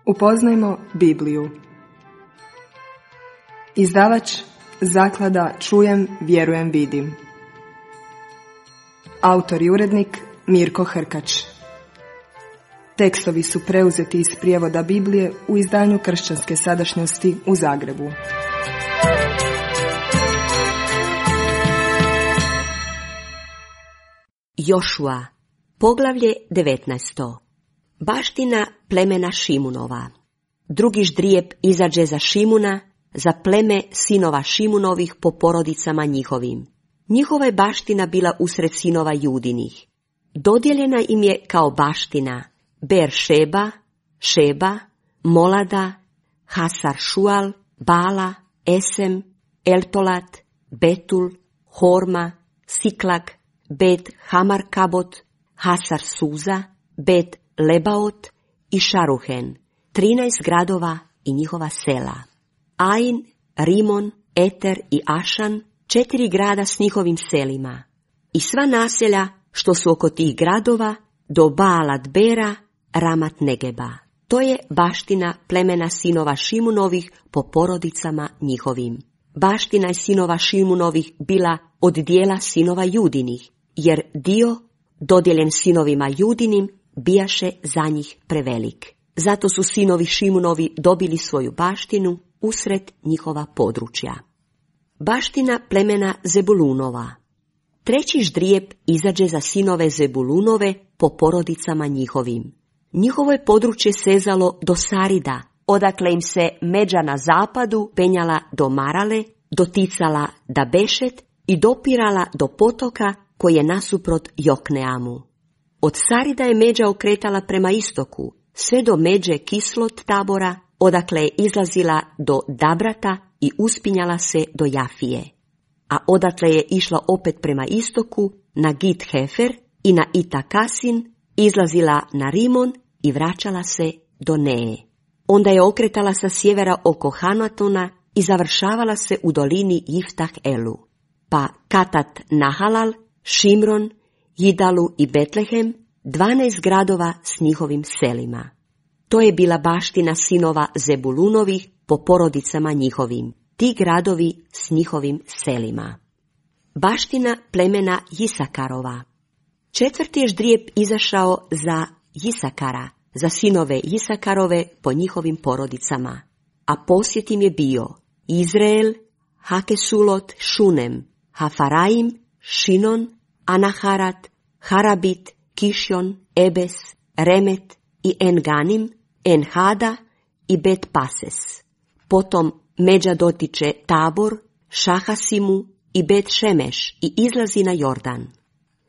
Upoznajmo Bibliju. Izdavač Zaklada Čujem, vjerujem, vidim. Autor i urednik Mirko Hrkač. Tekstovi su preuzeti iz prijevoda Biblije u izdanju Kršćanske sadašnjosti u Zagrebu. Jošua, poglavlje 19. Baština plemena Šimunova. Drugi ždrijeb izađe za Šimuna, za pleme sinova Šimunovih po porodicama njihovim. Njihova je baština bila usred sinova Judinih. Dodijeljena im je kao baština Ber-šeba, Šeba, Molada, Hasar-šual, Bala, Esem, Eltolat, Betul, Horma, Siklag, Bet Hamarkabot, Hasar-suza, Bet Lebaot i Šaruhen, 13 gradova i njihova sela. Ain, Rimon, Eter i Ašan, 4 grada s njihovim selima. I sva naselja što su oko tih gradova do Baalat Bera, Ramat Negeba. To je baština plemena sinova Šimunovih po porodicama njihovim. Baština je sinova Šimunovih bila od dijela sinova Judinih, jer dio dodijeljen sinovima Judinim bijaše za njih prevelik. Zato su sinovi Šimunovi dobili svoju baštinu usred njihova područja. Baština plemena Zebulunova. Treći ždrijeb izađe za sinove Zebulunove po porodicama njihovim. Njihovo je područje sezalo do Sarida, odakle im se međa na zapadu penjala do Marale, doticala da Bešet i dopirala do potoka koji je nasuprot Jokneamu. Od Sarida je međa okretala prema istoku, sve do međe Kislot Tabora, odakle je izlazila do Dabrata i uspinjala se do Jafije. A odatle je išla opet prema istoku na Git Hefer i na Itakasin, izlazila na Rimon i vraćala se do Neje. Onda je okretala sa sjevera oko Hanatona i završavala se u dolini Jiftah Elu. Pa Katat Nahalal, Šimron, Jidalu i Betlehem, 12 gradova s njihovim selima. To je bila baština sinova Zebulunovih po porodicama njihovim, ti gradovi s njihovim selima. Baština plemena Jisakarova. Četvrti je ždrijeb izašao za Jisakara, za sinove Jisakarove po njihovim porodicama, a posjet im je bio Izrael, Hakesulot, Šunem, Hafaraim, Šinon, Anaharat, Harabit, Kišjon, Ebes, Remet i Enganim, Enhada i Bet Pases. Potom međa dotiče Tabor, Šahasimu i Bet Šemeš i izlazi na Jordan.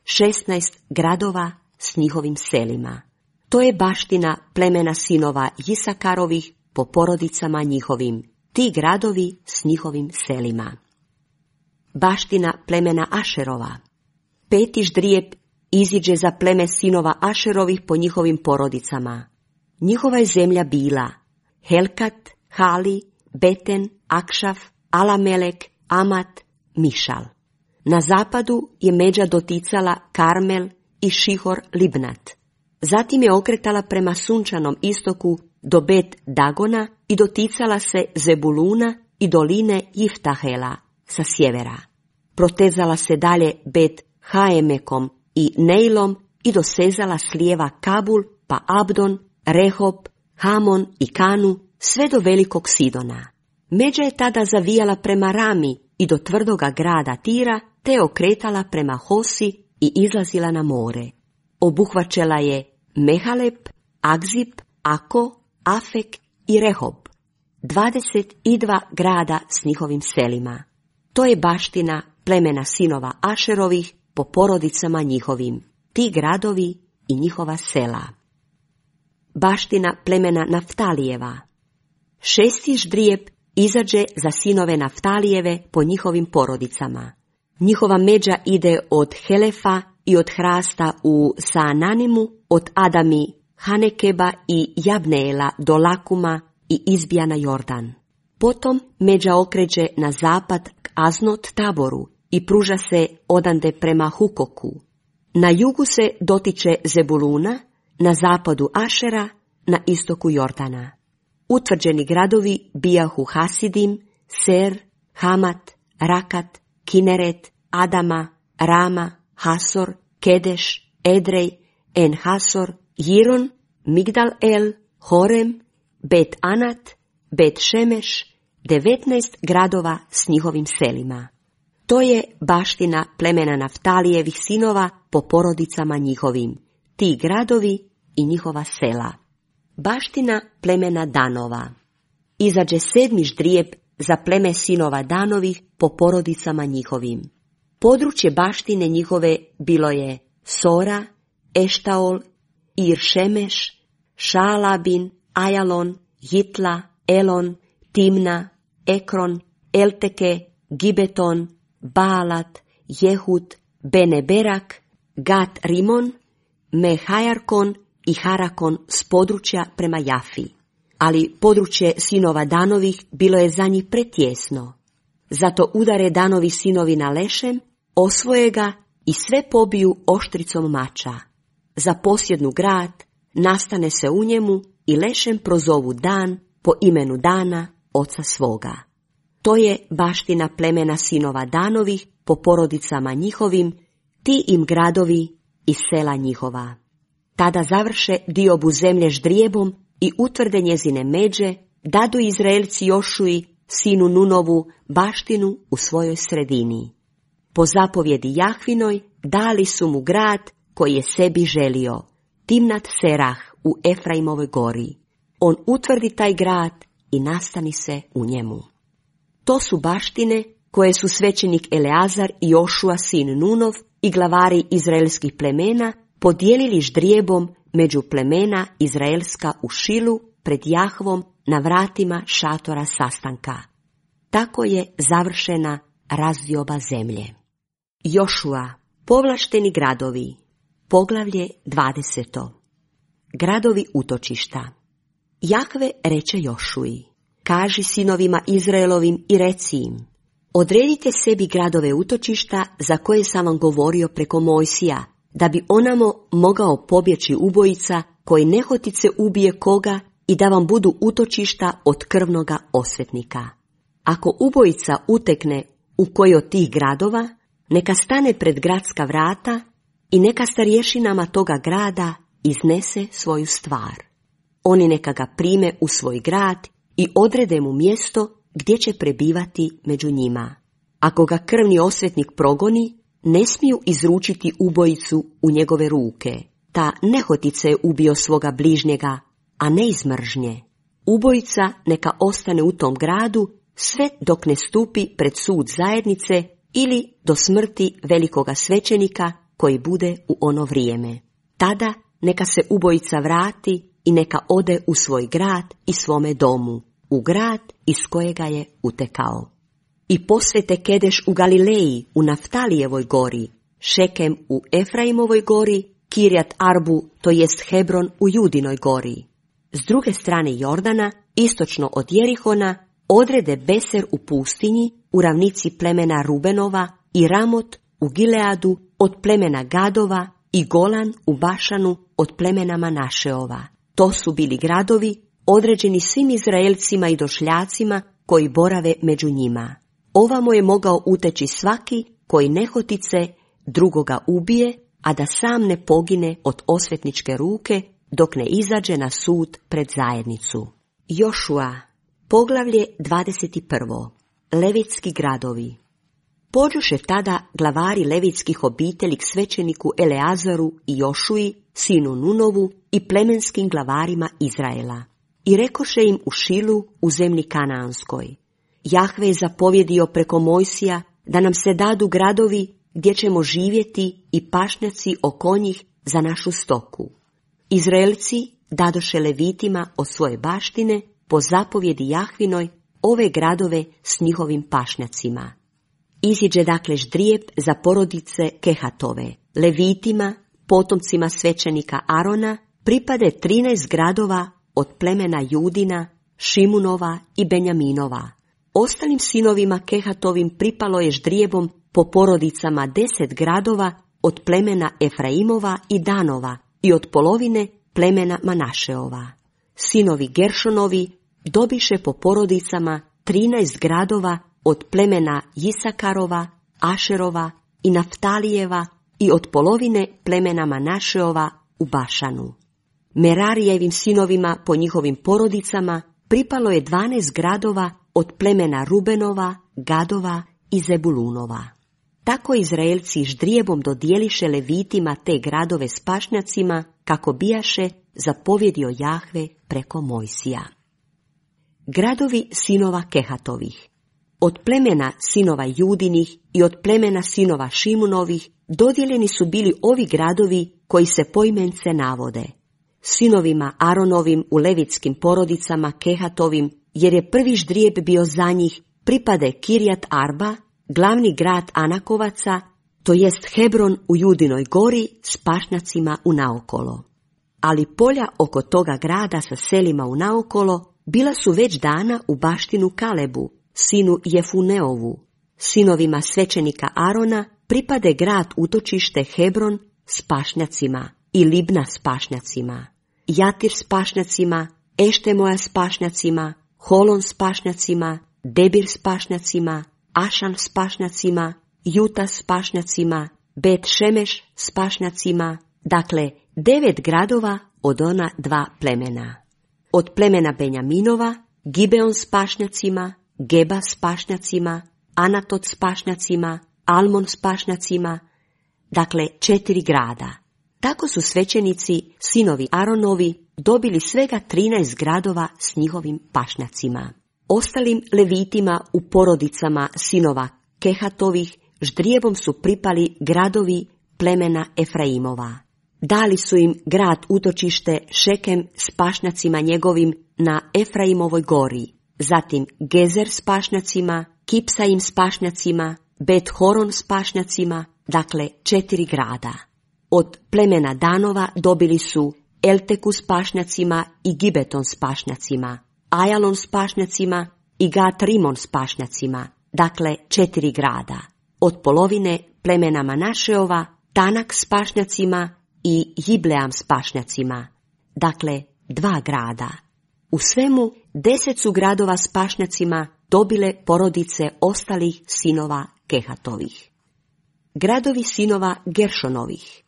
16 gradova s njihovim selima. To je baština plemena sinova Jisakarovih po porodicama njihovim, ti gradovi s njihovim selima. Baština plemena Ašerova. Peti ždrijeb iziđe za pleme sinova Ašerovih po njihovim porodicama. Njihova je zemlja bila Helkat, Hali, Beten, Akšaf, Alamelek, Amat, Mišal. Na zapadu je međa doticala Karmel i Šihor Libnat. Zatim je okretala prema sunčanom istoku do Bet Dagona i doticala se Zebuluna i doline Jiftahela sa sjevera. Protezala se dalje Bet Haemekom i Neilom i dosezala s lijeva Kabul, pa Abdon, Rehob, Hamon i Kanu, sve do velikog Sidona. Međa je tada zavijala prema Rami i do tvrdoga grada Tira, te okretala prema Hosi i izlazila na more. Obuhvaćala je Mehalep, Agzib, Ako, Afek i Rehob, 22 grada s njihovim selima. To je baština plemena sinova Ašerovih po porodicama njihovim, ti gradovi i njihova sela. Baština plemena Naftalijeva. Šesti ždrijeb izađe za sinove Naftalijeve po njihovim porodicama. Njihova međa ide od Helefa i od Hrasta u Saananimu, od Adami, Hanekeba i Jabneela do Lakuma i izbija na Jordan. Potom međa okreće na zapad k Aznot Taboru i pruža se odande prema Hukoku. Na jugu se dotiče Zebuluna, na zapadu Ašera, na istoku Jordana. utvrđeni gradovi bijahu Hasidim, Ser, Hamat, Rakat, Kineret, Adama, Rama, Hasor, Kedeš, Edrej, En Hasor, Jiron, Migdal El, Horem, Bet Anat, Bet Šemeš, 19 gradova s njihovim selima. To je baština plemena Naftalijevih sinova po porodicama njihovim, ti gradovi i njihova sela. Baština plemena Danova. Izađe 7. ždrijeb za pleme sinova Danovih po porodicama njihovim. Područje baštine njihove bilo je Sora, Eštaol, Ir-Šemeš, Šaalabin, Ajalon, Jitla, Elon, Timna, Ekron, Elteke, Gibeton, Baalat, Jehud, Beneberak, Gat Rimon, Mehajarkon i Harakon s područja prema Jafi. Ali područje sinova Danovih bilo je za njih pretjesno. Zato udare Danovi sinovi na Lešem, osvoje ga i sve pobiju oštricom mača. Zaposjednu grad, nastane se u njemu i Lešem prozovu dan po imenu Dana, oca svoga. To je baština plemena sinova Danovih po porodicama njihovim, ti im gradovi i sela njihova. Tada završe diobu zemlje ždrijebom i utvrde njezine međe, dadu Izraelci Jošuji, sinu Nunovu, baštinu u svojoj sredini. Po zapovjedi Jahvinoj dali su mu grad koji je sebi želio, Timnat Serah u Efraimovoj gori. On utvrdi taj grad i nastani se u njemu. To su baštine koje su svećenik Eleazar i Jošua sin Nunov i glavari izraelskih plemena podijelili ždrijebom među plemena izraelska u Šilu pred Jahvom na vratima šatora sastanka. Tako je završena razdioba zemlje. Jošua, povlašteni gradovi, poglavlje 20. Gradovi utočišta. Jahve reče Jošuji, kaži sinovima Izraelovim i reci im, odredite sebi gradove utočišta za koje sam vam govorio preko Mojsija, da bi onamo mogao pobjeći ubojica koji nehotice ubije koga i da vam budu utočišta od krvnoga osvetnika. Ako ubojica utekne u koji od tih gradova, neka stane pred gradska vrata i neka starješinama toga grada iznese svoju stvar. Oni neka ga prime u svoj grad i odrede mu mjesto gdje će prebivati među njima. Ako ga krvni osvetnik progoni, ne smiju izručiti ubojicu u njegove ruke. Ta nehotice je ubio svoga bližnjega, a ne iz mržnje. Ubojica neka ostane u tom gradu sve dok ne stupi pred sud zajednice ili do smrti velikoga svećenika koji bude u ono vrijeme. Tada neka se ubojica vrati i neka ode u svoj grad i svome domu, u grad iz kojega je utekao. I posvete Kedeš u Galileji, u Naftalijevoj gori, Šekem u Efraimovoj gori, Kirjat Arbu, to jest Hebron u Judinoj gori. S druge strane Jordana, istočno od Jerihona, odrede Beser u pustinji, u ravnici plemena Rubenova i Ramot u Gileadu od plemena Gadova i Golan u Bašanu od plemena Manašeova. To su bili gradovi određeni svim Izraelcima i došljacima koji borave među njima. Ovamo je mogao uteći svaki koji nehotice drugoga ubije, a da sam ne pogine od osvetničke ruke dok ne izađe na sud pred zajednicu. Jošua, poglavlje 21. Levitski gradovi. Pođoše tada glavari levitskih obitelji k svećeniku Eleazaru i Jošuji, sinu Nunovu i plemenskim glavarima Izraela. I rekoše im u Šilu u zemlji Kanaanskoj. Jahve je zapovjedio preko Mojsija da nam se dadu gradovi gdje ćemo živjeti i pašnjaci oko njih za našu stoku. Izraelci dadoše Levitima od svoje baštine po zapovjedi Jahvinoj ove gradove s njihovim pašnjacima. Iziđe dakle ždrijeb za porodice Kehatove. Levitima, potomcima svećenika Arona, pripade 13 gradova od plemena Judina, Šimunova i Benjaminova. Ostalim sinovima Kehatovim pripalo je ždrijebom po porodicama 10 gradova od plemena Efraimova i Danova i od polovine plemena Manašeova. Sinovi Geršonovi dobiše po porodicama 13 gradova od plemena Jisakarova, Ašerova i Naftalijeva i od polovine plemena Manašeova u Bašanu. Merarijevim sinovima po njihovim porodicama pripalo je 12 gradova od plemena Rubenova, Gadova i Zebulunova. Tako Izraelci ždrijebom dodijeliše Levitima te gradove s pašnjacima, kako bijaše zapovjedio Jahve preko Mojsija. Gradovi sinova Kehatovih. Od plemena sinova Judinih i od plemena sinova Šimunovih dodijeljeni su bili ovi gradovi koji se poimence navode. Sinovima Aronovim u levitskim porodicama Kehatovim, jer je prvi ždrijeb bio za njih, pripade Kirjat Arba, glavni grad Anakovaca, to jest Hebron u Judinoj gori s pašnjacima unaokolo. Ali polja oko toga grada sa selima unaokolo bila su već dana u baštinu Kalebu, sinu Jefuneovu. Sinovima svećenika Arona pripade grad utočište Hebron s pašnjacima i Libna s pašnjacima, Jatir s pašnjacima, Eštemoja s pašnjacima, Holon s pašnjacima, Debir s pašnjacima, Ašan s pašnjacima, Juta s pašnjacima, Bet Šemeš s pašnjacima, dakle 9 gradova od ona 2 plemena. Od plemena Benjaminova, Gibeon s pašnjacima, Geba s pašnjacima, Anatot s pašnjacima, Almon s pašnjacima, dakle 4 grada. Tako su svećenici, sinovi Aronovi, dobili svega 13 gradova s njihovim pašnjacima. Ostalim Levitima u porodicama sinova Kehatovih ždrijebom su pripali gradovi plemena Efraimova. Dali su im grad utočište Šekem s pašnjacima njegovim na Efraimovoj gori, zatim Gezer s pašnjacima, Kipsaim s pašnjacima, Bet Horon s pašnjacima, dakle 4 grada. Od plemena Danova dobili su Elteku s pašnjacima i Gibeton s pašnjacima, Ajalon s pašnjacima i Gat Rimon s pašnjacima, dakle 4 grada. Od polovine plemena Manašeova Tanak s pašnjacima i Jibleam s pašnjacima, dakle 2 grada. U svemu 10 su gradova s pašnjacima dobile porodice ostalih sinova Kehatovih. Gradovi sinova Geršonovih.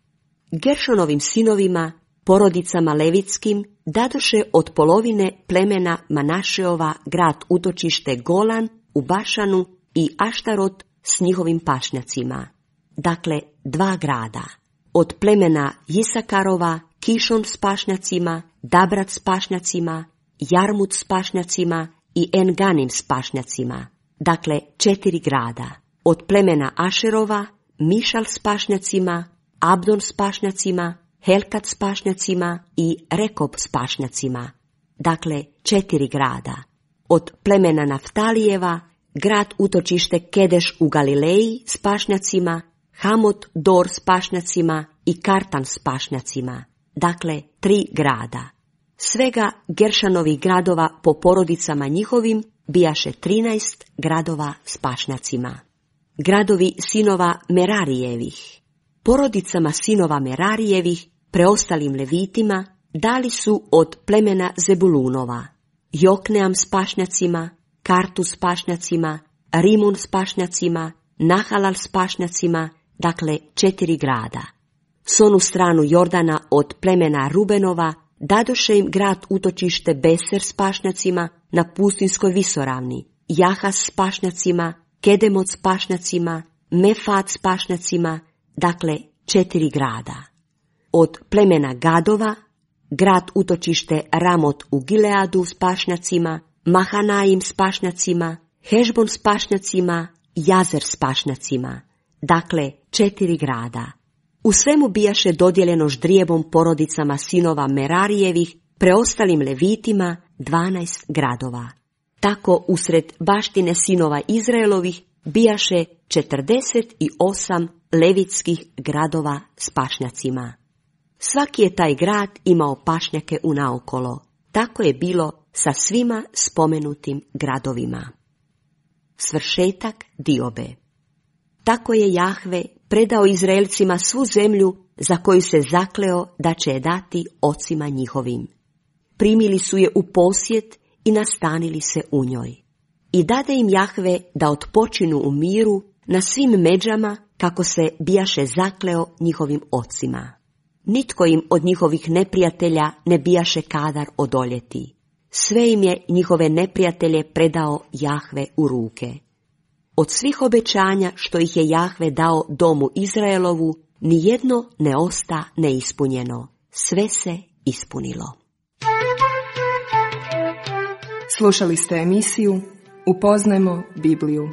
Geršonovim sinovima, porodicama levitskim, dadoše od polovine plemena Manašeova grad utočište Golan u Bašanu i Aštarot s njihovim pašnjacima, dakle 2 grada. Od plemena Jisakarova Kišon s pašnjacima, Dabrat s pašnjacima, Jarmut s pašnjacima i Enganim s pašnjacima, dakle 4 grada. Od plemena Ašerova Mišal s pašnjacima, Abdon s pašnjacima, Helkat s pašnjacima i Rekob s pašnjacima, dakle 4 grada. Od plemena Naftalijeva grad utočište Kedeš u Galileji s pašnjacima, Hamot Dor s pašnjacima i Kartan s pašnjacima, dakle 3 grada. Svega Geršanovih gradova po porodicama njihovim bijaše 13 gradova s pašnjacima. Gradovi sinova Merarijevih. Porodicama sinova Merarijevih, preostalim Levitima, dali su od plemena Zebulunova Jokneam s pašnjacima, Kartu s pašnjacima, Rimun s pašnjacima, Nahalal s pašnjacima, dakle 4 grada. S onu stranu Jordana od plemena Rubenova dadoše im grad utočište Beser s pašnjacima na pustinskoj visoravni, Jahas s pašnjacima, Kedemot s pašnjacima, Mefat s pašnjacima, dakle 4 grada. Od plemena Gadova grad utočište Ramot u Gileadu s pašnjacima, Mahanaim s pašnjacima, Hešbon s pašnjacima, Jazer s pašnjacima, dakle 4 grada. U svemu bijaše dodijeljeno ždrijebom porodicama sinova Merarijevih, preostalim Levitima 12 gradova. Tako usred baštine sinova Izraelovih bijaše 48 levitskih gradova s pašnjacima. Svaki je taj grad imao pašnjake unaokolo. Tako je bilo sa svima spomenutim gradovima. Svršetak diobe. Tako je Jahve predao Izraelcima svu zemlju za koju se zakleo da će je dati ocima njihovim. Primili su je u posjed i nastanili se u njoj. I dade im Jahve da odpočinu u miru na svim međama kako se bijaše zakleo njihovim ocima. Nitko im od njihovih neprijatelja ne bijaše kadar odoljeti. Sve im je njihove neprijatelje predao Jahve u ruke. Od svih obećanja što ih je Jahve dao domu Izraelovu, nijedno ne osta neispunjeno. Sve se ispunilo. Slušali ste emisiju Upoznajmo Bibliju.